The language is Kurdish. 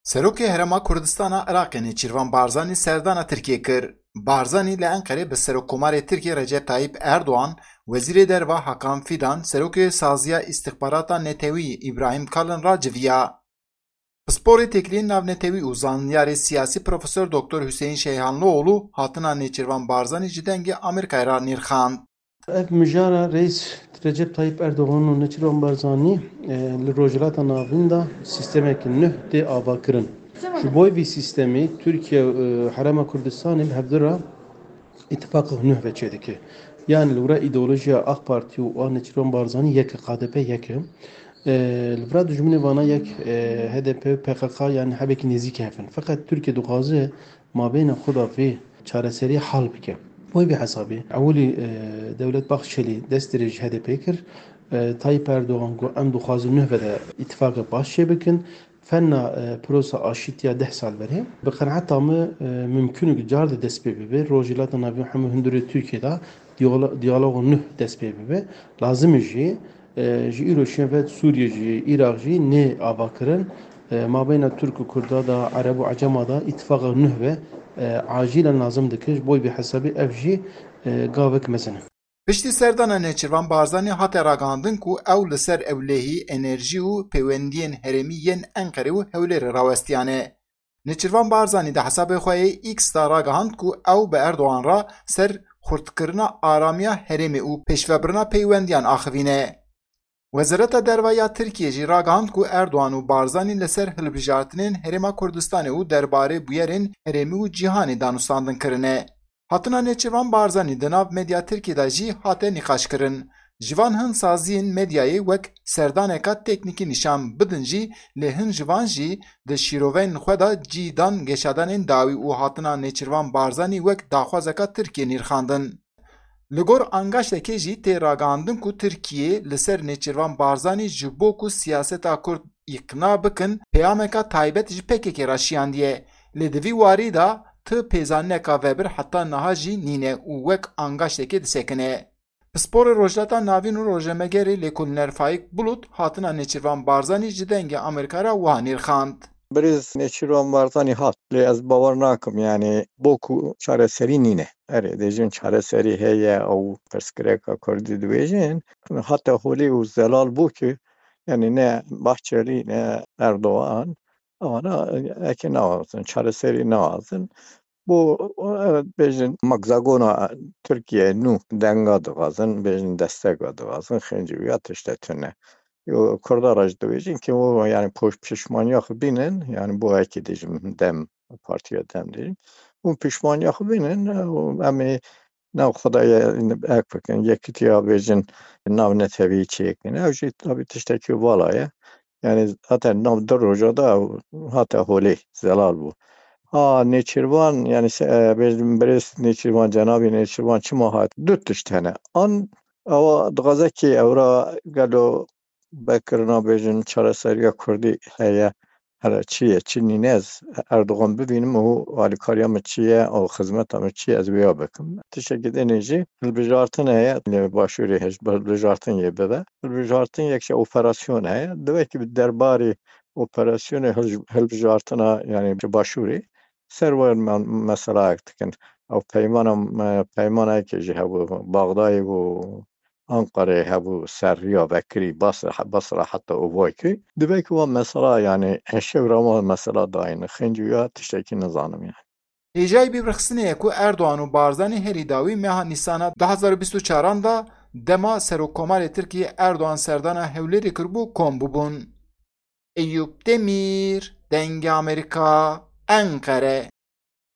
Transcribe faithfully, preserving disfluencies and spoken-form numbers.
Serokê Herêma Kurdistana Iraqê Nêçîrvan Barzanî serdana Tirkiyê kir. Barzanî li Enqerê bi Serokkomarê Tirkiyê Recep Tayyip Erdoğan, Wezîrê Derva Hakan Fidan, Serokê Saziya Îstixbarata Netewî Îbrahîm Kalin re civiya. Pisporê Têkiliyên Navnetewî û zanyarê siyasî Profesor Doktor Hüseyin Şeyhanlıoğlu hatina Nêçîrvan Barzanî ji Dengê Amerîkayê re nirxand. Ev mijara Reis Recep Tayyip Erdoğan û Nêçîrvan Barzanî, e, li Rojhilata Navîn de sîstemeke nuh tê avakirin. Ji bo vî sîstemî Tirkiye û, e, Herêma Kurdistanê bi hevdu re îtifaqek nuh ve çêdike. Yani li wira îdeolojiya AK Partî û a Nêçîrvan Barzanî yek e, KDP yek e. E, li vira dijminê vana yek, e, HDP û PKK yani hebekî nêzîk hev in. Feqet Tirkiye dixwaze mabeyna xwe de vê çareseriyê hal bike. Bo vê hesabê ewilî, e, Dewlet Bahçelî dest dirêj HDP kir. E, Tayyip Erdoğan got, em dixwazin nuh ve de îtifaqek baş çêbikin. Fena, e, prosa aşîtiya deh sal berê. Bi qenaeta min, e, mimkun e ku car de dest pê bibe. Rojhilata Navîn hemû hundirê Tirkiye de diyalo-, diyaloga nuh dest pê bibe. Lazim e jî, e, ji îro şûn ve Sûriye jî, Iraq jî nê avakirin. E, mabeyna Tirk û Kurda da, Ereb û Ecema da îtifaqa nuh ve, e, acilen lazim dike. Ji bo vê hesabê ev jî, e, gavek mezin e. Piştî serdana Nêçîrvan Barzanî hate ragihandin ku ew li ser ewlehî, enerjî û peywendiyên herêmî yên Enqerê û Hewlêrê rawestiyane. Nêçîrvan Barzanî di hesabê xwe yê X de ragihand ku ew bi Erdogan re ser xurtkirina aramiya herêmê û pêşvebirina peywendiyan axivîne. Wezareta Derve ya Tirkiyê jî ragihand ku Erdogan û Barzanî li ser hilbijartinên Herêma Kurdistanê û derbarê bûyerên herêmî û cîhanê danûstandin kirine. Hatina Nêçîrvan Barzanî di nav medya Tirkiyê de jî hate nîqaşkirin. Ji van hin saziyên medyayê wek serdaneka teknîkî nîşan bidin jî, lê hin ji van jî di şîroveyên xwe de cî dan geşadanên dawî û hatina Nêçîrvan Barzanî wek daxwazeka Tirkiyê nirxandin. Li gor angaştekê jî tê ragihandin ku Tirkiye li ser Nêçîrvan Barzanî ji bo ku siyaseta Kurd îqna bikin, peyameka taybet ji P K K re şiyandiye. Lê di vî warî de ti pêzanîneka vebir heta niha jî nîne û wek angaştekê disekine. Pisporê Rojhilata Navîn û rojnamegerê lêkolîner Faîk Bulut hatina Nêçîrvan Barzanî ji Dengê Amerîka re wiha nirxand. Birêz Nêçîrvan Barzanî hat, lê ez bawer nakim, yani bo ku çareserî nîne. Erê, dêjin çareserî heye, ew pirsgirêka Kurdî dibêjin. Hate holê û zelal bû ki, yani ne Bahçelî, ne Erdogan, ewana eke nawazin, çareserî nawazin. Bu, evet, bêjin magzagona Tirkiye nû denga dixwazin, bêjin desteka dixwazin, xêncî ya tişte tune. Yo, Kurda re jî dibêjin ki o, yani poş-, pişmaniya xwe bînin, yani bu eke dêjin DEM, Partiya DEM dêjin. Û pişmaniya xwe bînin, û em ê nav xwe de ye-, ek bikin, yekitiya bêjin nav netewî çêkin. Ew jî tabî tiştekî vala ye. Yani zaten nav du roja da hate holê, zelal bû. Ha, Nêçîrvan, yani se-, e, bêjin birêz Nêçîrvan, cenabî Nêçîrvan çima hat? Du tişt hene. An ewa dixwaze ki ewra gelo vekirina bêjin çareseriya Kurdî heye, here çi ye, çi nîne ez Erdogan bibînim û alîkariya min çi ye û xizmeta min çi ye ez wêya bikim. Tiştekî dinê jî hilbijartin heye, li Başûrê hej-, hilbijartin yê bibe. Hilbijartin yek ji operasyon heye. Divê ki bi derbarê operasyonê hilj-, hilbijartina, yani ji Başûrê ser wer me-, meselayek dikin. Ew peymana, me-, peymanayekê jî hebû Baxdayê û Anqarê hebû ser riya vekirî Basra, Basra heta Ovakî. Divê ki wa mesela, yani eşev re wa mesela dayîn. Xêncî ya tiştekî nizanim yani. Hêjayî bîrxistinê ye ku Erdogan û Barzanî herî dawî meha Nîsana du hazar û bîst û çaran de dema Serokkomarê Tirkiyê Erdogan serdana Hewlêrê kiribû kom bûbûn. Eyûp Demîr, Dengê Amerîka, Enqere.